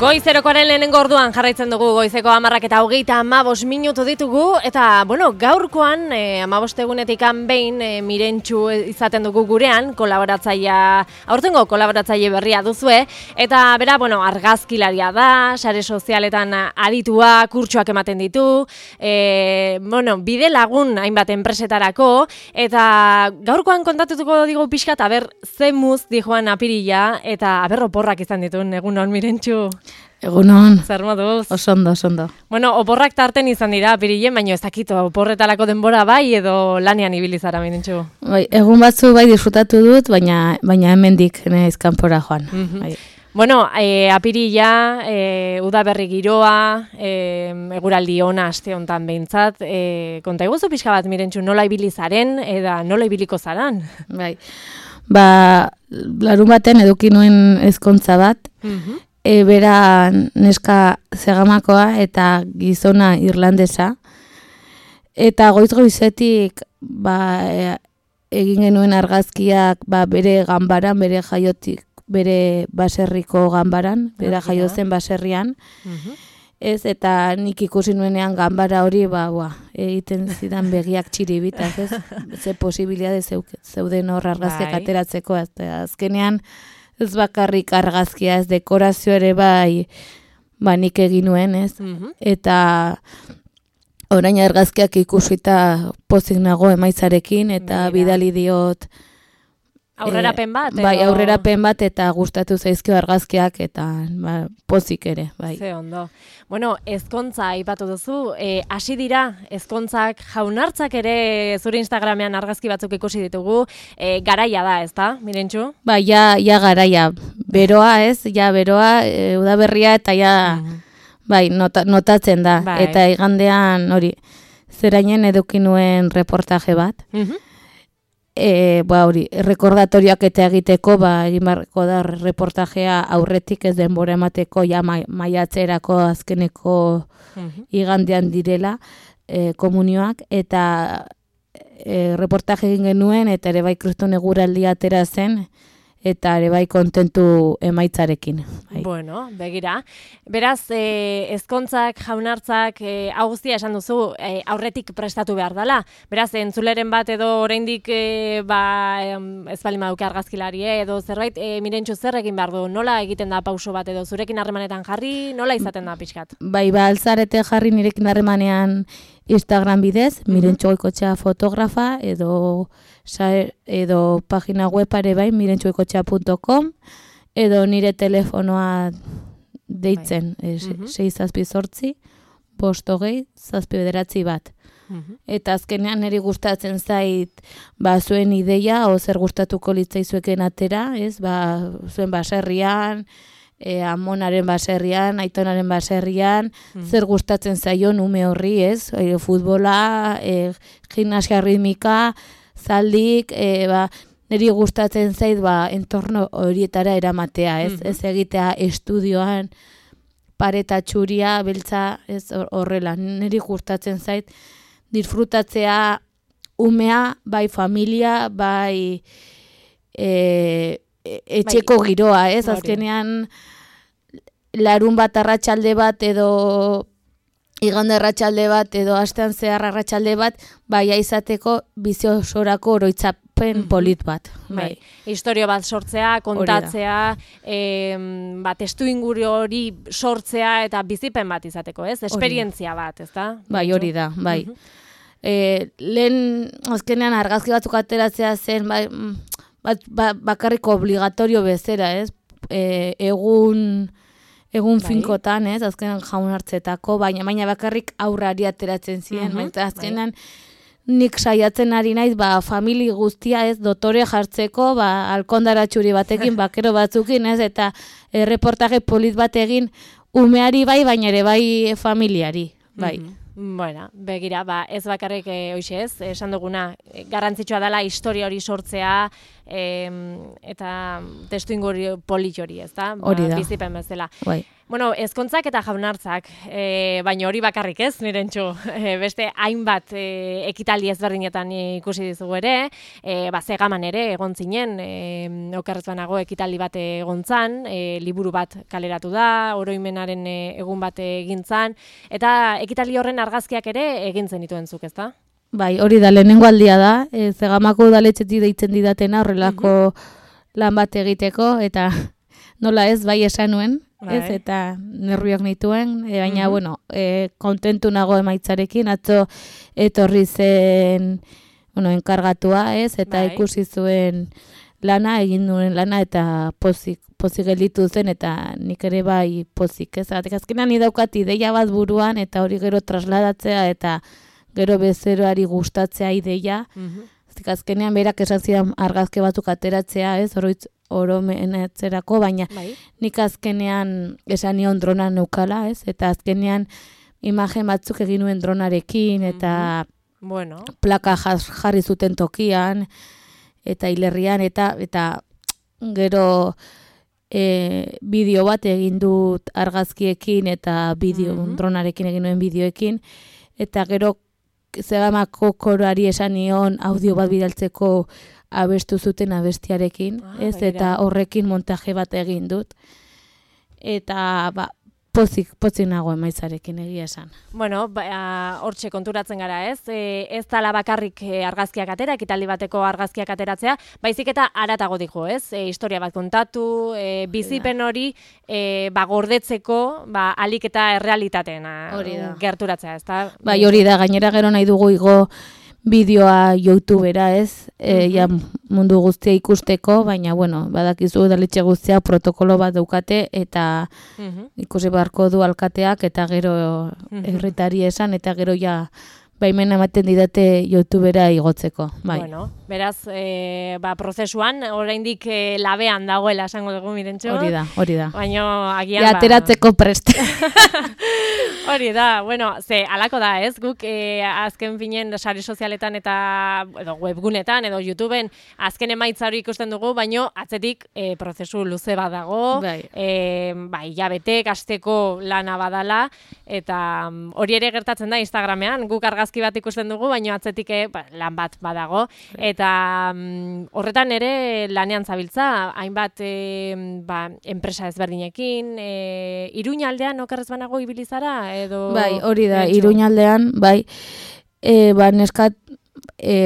Goizerokoaren lehenengo orduan jarraitzen dugu goizeko 10:25 ditugu eta gaurkoan 15 egunetik behin Mirentxu izaten dugu gurean aurtengo kolaboratzaile berria duzue eta bera argazkilaria da, sare sozialetan aditua, kurtsoak ematen ditu, bide lagun hainbat enpresetarako eta gaurkoan kontatutuko digu pixkat ze muz dijoan apirila eta oporrak izan dituen egunon Mirentxu. Egunon. Zer moduz? Oso ondo. Oporrak tarten izan dira apirilen, baina ez dakit oporretalako denbora bai edo lanean ibili zara Mirentxu. Bai, egun batzu bai disfrutatu dut, baina hemendik naiz kanpora joan. Apirila, udaberri giroa, eguraldi ona aste hontan behintzat, konta iguzu pixka bat Mirentxu, nola ibili zaren eta nola ibiliko zaran? Bai. Larun baten eduki nuen ezkontza bat, bera neska zegamakoa eta gizona irlandesa, eta goizetik egin genuen argazkiak bere ganbaran, bere jaiotik, bere baserriko ganbaran, bera jaio zen baserrian, eta nik ikusi nuenean ganbara hori, egiten zidan begiak txiribitaz, ze posibilitate zeuden hor argazkiak ateratzeko, azkenean ez bakarrik argazkia, ez dekorazio ere nik egin nuen, eta orain argazkiak ikusita pozik nago emaitzarekin, eta bidali diot aurrerapen bat? Bai, aurrerapen bat eta gustatu zaizkio argazkiak eta pozik ere, bai. Ze ondo. Ezkontza aipatu duzu, hasi dira ezkontzak jaunartzak ere zure Instagramean argazki batzuk ikusi ditugu, garaia da, ezta, Mirentxu? Bai, ja garaia. Beroa, beroa, udaberria eta notatzen da. Eta igandean hori, zerainen eduki nuen reportaje bat. Rekordatorioak eta egiteko, egin barreko da reportajea aurretik ez denbora emateko, maiatzerako azkeneko igandean direla komunioak, eta reportaje egin genuen, eta ere bai kriston eguraldia atera zen, eta ere bai kontentu emaitzarekin. Begira. Beraz, ezkontzak, jaunartzak, hau guztia esan duzu, aurretik prestatu behar dela. Beraz, entzuleren bat edo oraindik ez bali maduke argazkilarie edo zerbait, Mirentxu zer egin behar du? Nola egiten da pauso bat edo zurekin harremanetan jarri? Nola izaten da pixkat? Altzarete jarri nirekin harremanean Instagram bidez, Mirentxu Goikotxea fotografa edo pagina web ere bai, mirentxugoikotxea.com, edo nire telefonoa deitzen, 6-8-5-5-9 Eta azkenean niri gustatzen zait zuen ideia, o zer gustatuko litzaizueken atera, zuen baserrian, amonaren baserrian, aitonaren baserrian, zer gustatzen zaion ume horri, futbola, gimnasia ritmika, zaldik, niri gustatzen zait entorno horietara eramatea, ez egitea estudioan pareta txuria, beltza, ez horrela, niri gustatzen zait disfrutatzea umea, bai familia, bai etxeko giroa, ez, azkenean larun bat arratsalde bat edo igande arratsalde bat edo astean zehar arratsalde bat izateko bizi osorako oroitzapen polit bat. Historio bat sortzea, kontatzea, testuinguru hori sortzea eta bizipen bat izateko, ez? Esperientzia bat, ezta? Hori da, bai. Lehen azkenean argazki batzuk ateratzea zen, bakarriko obligatorio bezera, ez? Egun finkotan, ez, azkenan jaun hartzetako, baina bakarrik aurrari ateratzen ziren, azkenan nik saiatzen ari naiz, famili guztia, ez, dotore jartzeko, alkondara txuri batekin, bakero batzukin, ez, eta reportaje polit bat egin umeari bai, baina ere bai familiari, bai. Begira, ez bakarrik hoxe ez, esan duguna, garrantzitsua dela historia hori sortzea eta testuinguru polit hori, ez da? Hori da. Bizipen bezala. Bueno, ezkontzak eta jaunartzak, baina hori bakarrik ez, Mirentxu. Beste hainbat ekitaldi ezberdinetan ikusi dizugu ere, Zegaman ere egon zinen, okerrez banago ekitaldi bat egon zan, liburu bat kaleratu da, oroimenaren egun bat egin zan, eta ekitaldi horren argazkiak ere egin zenituen zuk, ezta? Bai, hori da, lehenengo aldia da, Zegamako udaletxetik deitzen didatena horrelako lan bat egiteko, eta nola ez, bai esan nuen, ez, eta nerviok nituen, baina, bueno, kontentu nago emaitzarekin, atzo etorri zen, bueno, enkargatua, ez, eta ikusi zuen lana, egin duen lana, eta pozik gelditu zen, eta nik ere bai pozik, ez, azkenean idaukat ideia bat buruan, eta hori gero trasladatzea, eta gero bezeroari gustatzea ideia, azkenean berak esan zidan argazke batzuk ateratzea, ez, oromenetzerako, baina nik azkenean esan nion drona neukala, ez? Eta azkenean imagen batzuk egin nuen dronarekin, eta plaka jarri zuten tokian, eta hilerrian, eta gero bideo bat egin dut argazkiekin, eta dronarekin egin nuen bideoekin, eta gero Zegamako koroari esan nion audio bat bidaltzeko abestu zuten abestiarekin, ez, eta horrekin montaje bat egin dut. Eta, pozik nago emaitzarekin egia esan. Bueno, hortxe konturatzen gara, ez? Ez dala bakarrik argazkiak atera, ekitaldi bateko argazkiak ateratzea, baizik eta haratago dijo, ez? Historia bat kontatu, bizipen hori gordetzeko, alik eta errealitateen gerturatzea, ez da? Bai, hori da, gainera gero nahi dugu igo bideoa YouTubera, ez? Ja mundu guztia ikusteko, baina, bueno, badakizu udaletxe guztia protokolo bat daukate, eta ikusi beharko du alkateak, eta gero herritari esan, eta gero ja baimena ematen didate YouTubera igotzeko. Bueno, beraz, prozesuan, oraindik labean dagoela esango dugu, Mirentxu. Hori da. Baina, agian ateratzeko prest. Hori da, bueno, alako da, ez? Guk azken finen sare sozialetan eta webgunetan edo YouTubeen azken emaitza hori ikusten dugu, baino atzetik prozesu luze bat dago, hilabetek, asteko lana badala, eta hori ere gertatzen da Instagramean, guk argazki bat ikusten dugu, baino atzetik lan bat badago, eta horretan ere lanean zabiltza, hainbat enpresa ezberdinekin, Iruñaldean okerrez banago ibilizara, bai, hori da, Iruñaldean, bai, neskat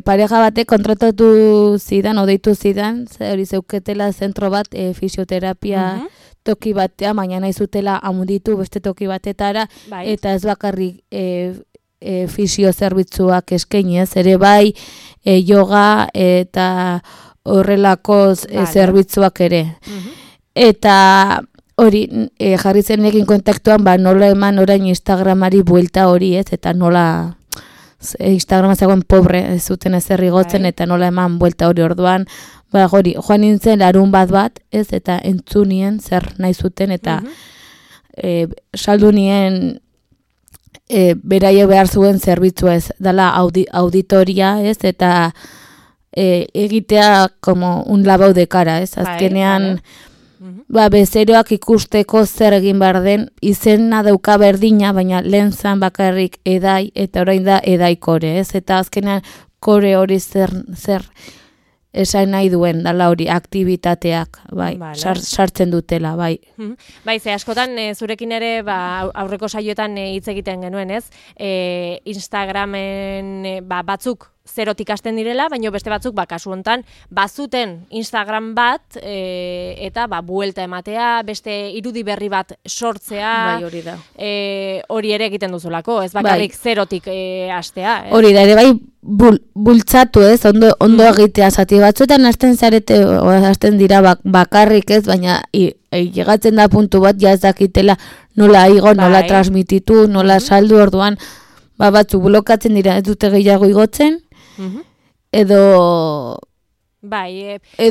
pareja batek kontratatu zidan, odeitu zidan, hori zeuketela zentro bat fisioterapia toki batea, baina nahi zutela amunditu beste toki batetara, eta ez bakarrik fisiozerbitzuak eskainez, ere bai, yoga eta horrelako zerbitzuak ere. Eta hori, jarri zenekin kontaktuan, nola eman orain Instagramari buelta hori, ez, eta nola Instagrama zegoen pobre, ez zuten ezer igotzen, eta nola eman buelta hori orduan, hori, joan nintzen larun bat, ez, eta entzunien zer nahi zuten, eta saldu nien beraie behar zuen zerbitzu ez, dala auditoria, ez, eta egitea como un lavado de cara, ez, azkenean bezeroak ikusteko zer egin behar den, izena dauka berdina, baina lehen zan bakarrik edai, eta orain da edai kore, ez? Eta azkenean kore hori zer esan nahi duen, dala hori, aktibitateak, sartzen dutela, bai. Bai, ze askotan zurekin ere aurreko saioetan hitz egiten genuen, ez? Instagramen batzuk zerotik hasten direla, baina beste batzuk, kasu hontan, bazuten Instagram bat, eta buelta ematea, beste irudi berri bat sortzea, bai, hori da. Hori ere egiten duzulako, ez bakarrik zerotik hastea. Hori da, ere bai, bultzatu ez, ondo egitea, zati batzuetan hasten dira bakarrik ez, baina llegatzen da puntu bat, ja ez dakitela nola igo, nola transmititu, nola saldu orduan, batzuk blokatzen dira, ez dute gehiago igotzen, edo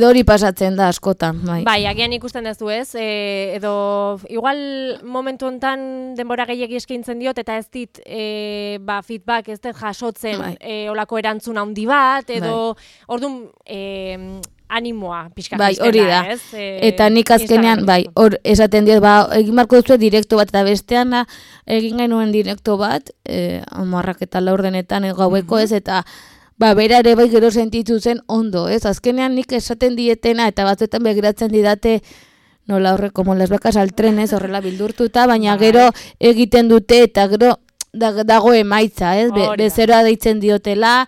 hori pasatzen da askotan. Bai, agian ikusten duzu ez, edo igual momentu hontan denbora gehiegi eskaintzen diot, eta ez dit feedback ez dut jasotzen olako erantzun handi bat, edo orduan animoa pixka bai, hori da. ez? Eta nik azkenean, bai, hor esaten diot, egin marko duzu direkto bat, eta bestean egin genuen direkto bat, 10:00 gaueko ez, eta bera ere bai gero sentitu zen ondo, ez? Azkenean nik esaten dietena, eta batzuetan begiratzen didate, nola horre, como las vacas al tren, ez, horrela bildurtuta, baina gero egiten dute, eta gero dago emaitza, ez? Bezeroa deitzen diotela,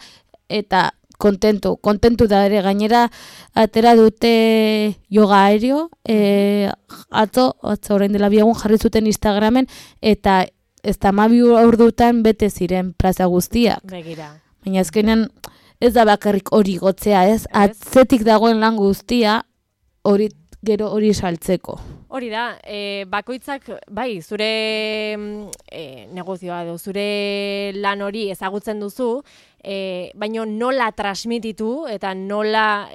eta kontentu da ere, gainera atera dute yoga aereo, atzo orain dela 2 egun jarri zuten Instagramen, eta ez da 12 ordutan bete ziren plaza guztiak. Begira. Baina azkenean ez da bakarrik hori gotzea, ez? Atzetik dagoen lan guztia hori gero hori saltzeko. Hori da, bakoitzak, bai, zure negozioa edo, zure lan hori ezagutzen duzu, baina nola transmititu eta nola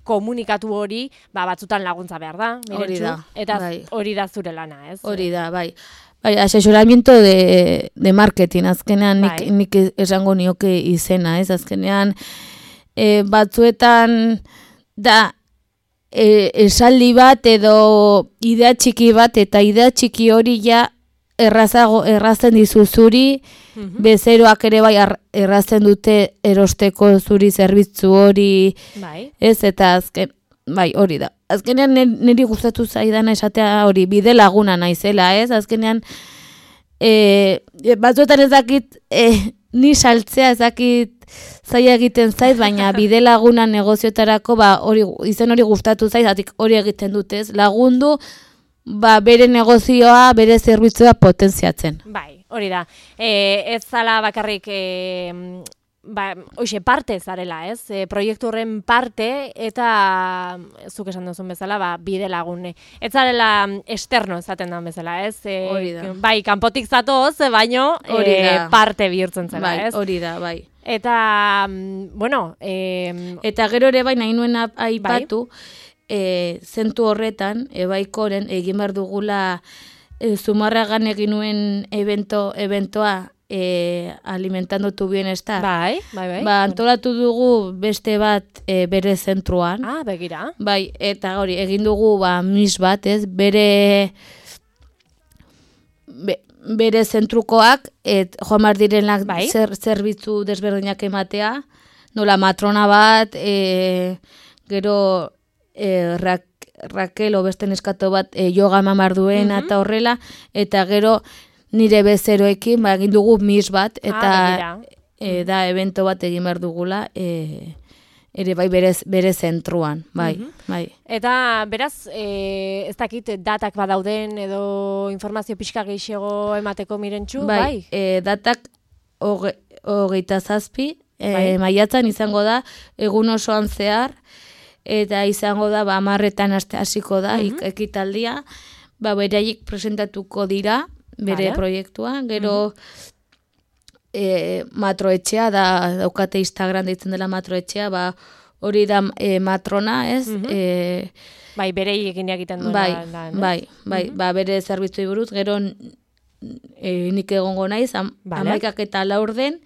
komunikatu hori, batzutan laguntza behar da, hori da, eta bai. Hori da zure lana, ez? Hori da, bai. Bai, asesoramiento de marketing, azkenean nik esango nioke izena, ez? Azkenean batzuetan da esaldi bat edo idea txiki bat, eta idea txiki hori ja errazten dizu zuri, bezeroak ere bai errazten dute erosteko zuri zerbitzu hori, ez? Eta azken, bai, hori da. Azkenean niri gustatu zaidana esatea hori, bide laguna naizela, ez? Azkenean, batzuetan ez dakit, ni saltzea ez dakit zaila egiten zait, baina bide laguna negozioetarako, izen hori gustatu zait, hori egiten dutez, lagundu, bere negozioa, bere zerbitzua potentziatzen. Bai, hori da. Ez zala bakarrik hoxe parte zarela, ez? Proiektu horren parte, eta zuk esan duzun bezala, bide lagune. Ez zarela externo ezaten da bezala, ez? Hori da. Bai, kanpotik zatoz, baino parte bihurtzen zela, ez? Hori da, bai. Eta, bueno... Eta gero ere bai nahi nuen aipatu, zentu horretan, ebaikoren egin behar dugula Zumarragan egin nuen eventoa, alimentando tu bienestar. Bai. Antolatu dugu beste bat bere zentruan. Begira. Bai, eta hori, egin dugu mis bat, ez, bere zentrukoak, joan behar direnak zerbitzu desberdinak ematea, nola matrona bat, gero Raquel beste neskato bat yoga eman behar duena eta horrela, eta gero nire bezeroekin egin dugu mis bat, eta da evento bat egin behar dugula, ere bai bere zentruan, bai. Eta beraz, ez dakit datak badauden edo informazio pixka gehiago emateko Mirentxu, bai? Datak 27 maiatzan izango da, egun osoan zehar, eta izango da, 10:00 hasiko da, ekitaldia, beraiek presentatuko dira, bere proiektua, gero matroetxea, daukate Instagram deitzen dela matroetxea, hori da matrona, ez? Bai, berei egiten duen. Bai, bere zerbitzui buruz, gero nik egongo naiz, 11:00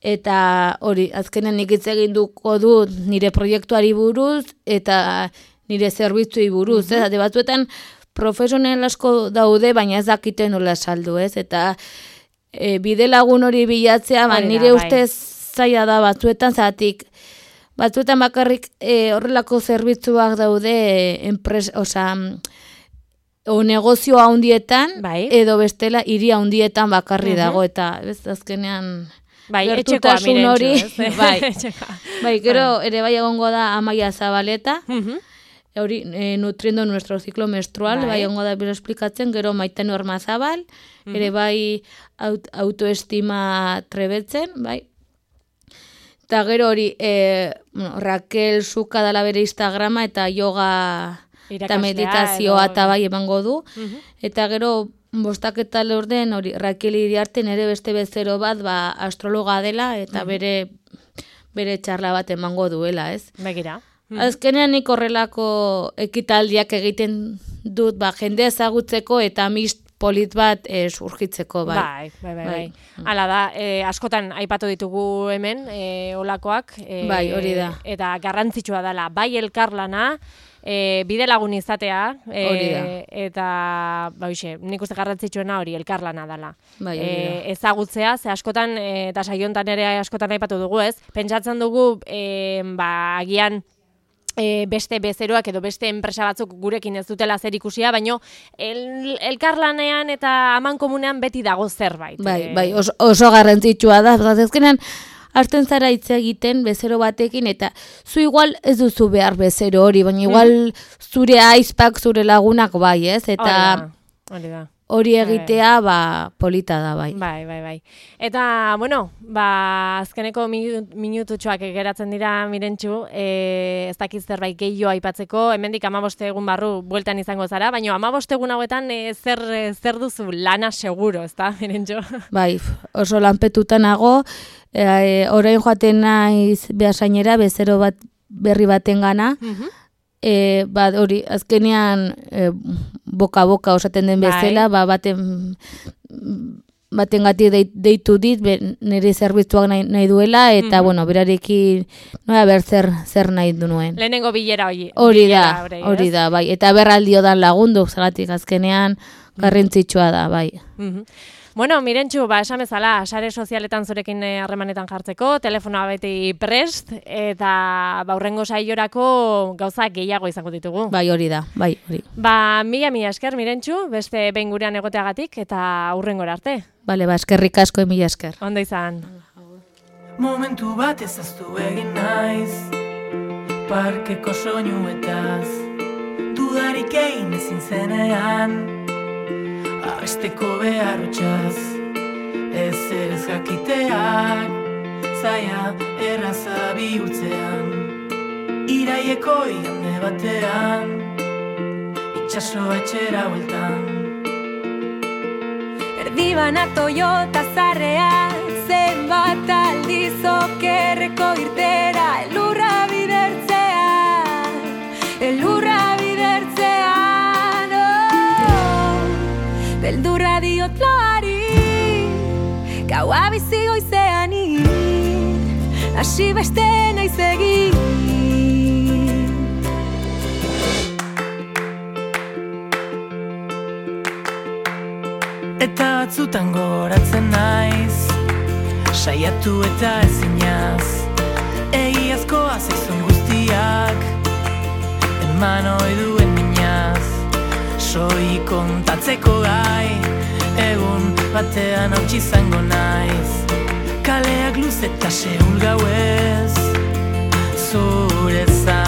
eta hori, azkenen nik hitz egin duko dut nire proiektuari buruz, eta nire zerbitzui buruz, ez? Batzuetan profesional asko daude, baina ez dakiten nola saldu, ez? Eta bide lagun hori bilatzea, nire ustez zaila da batzuetan bakarrik horrelako zerbitzuak daude negozio handietan, edo bestela hiri handietan bakarri dago, eta azkenean gertutasun hori, bai, gero ere bai egongo da Amaia Zabaleta, hori, nutriendo nuestro ciclo menstrual, bai egongo da bero esplikatzen, gero Maite Normazabal, ere bai autoestima trebetzen, bai. Eta gero hori, Raquel Suka dala bere Instagrama, eta yoga eta meditazioa eta bai emango du. Eta gero, 5:00 hori, Raquel Iriarte nere beste bezero bat, astrologa dela, eta bere txarla bat emango duela, ez? Begira. Azkenean nik horrelako ekitaldiak egiten dut, jende ezagutzeko eta mis polit bat surgitzeko, bai. Bai. Hala da, askotan aipatu ditugu hemen, olakoak. Bai, hori da. Eta garrantzitsua dela, bai elkarlana, bide lagun izatea, eta nik uste garrantzitsuena hori elkarlana dela. Bai, ezagutzea, ze askotan, eta saiontan ere askotan aipatu dugu, ez? Pentsatzen dugu, agian beste bezeroak edo beste enpresa batzuk gurekin ez dutela zer ikusia, baina elkarlanean eta amankomunean beti dago zerbait. Bai, oso garrantzitsua da, azkenean, hartzen zara hitz egiten bezero batekin, eta zu igual ez duzu behar bezero hori, baina igual zure aizpak, zure lagunak bai, ez? Eta hori egitea, polita da, bai. Bai. Eta, bueno, azkeneko minututxoak geratzen dira, Mirentxu, ez dakiz zerbait gehiago aipatzeko, hemendik 15 egun barru bueltan izango zara, baina 15 egun hauetan zer duzu lana seguro, ez da, Mirentxu? Bai, oso lanpetuta nago, orain joaten naiz Beasainera, bezero bat berri baten gana, hori, azkenean boka-boka osaten den bezala, baten gati deitu dit, nire zerbitzuak nahi duela, eta, berarekin, zer nahi du nuen. Lehenengo bilera hori. Hori da, bai, eta berraldio dan lagundu, zagatik azkenean garrantzitsua da, bai. Bueno, Mirentxu, esan bezala, sare sozialetan zurekin harremanetan jartzeko, telefonoa beti prest, eta hurrengo saiorako gauza gehiago izango ditugu. Bai, hori da, bai, hori. Mila esker, Mirentxu, beste behin gurean egoteagatik, eta hurrengora arte. Bale, eskerrik asko, mila esker. Ondo izan. Momentu bat ezaztu egin naiz, parkeko soinuetaz, dudarik egin ezin zenean, abesteko beharrotxaz, ez jakiteak, zaila erraza bihurtzean, iraieko igande batean, itxasoa etxera bueltan. Erdibana Toyota zarrea, zenbat aldiz okerreko irtera, elurra bidertzean, beldurra diot loari, gaua bizi goizeani, hasi beste naiz egin. Eta batzutan goratzen naiz, saiatu eta ezinaz, egiazkoa zaizun guztiak, eman ohi duen minaz, soi kontatzeko gai, egun batean hautsi izango naiz, kaleak luz eta seul gauez, zure zan.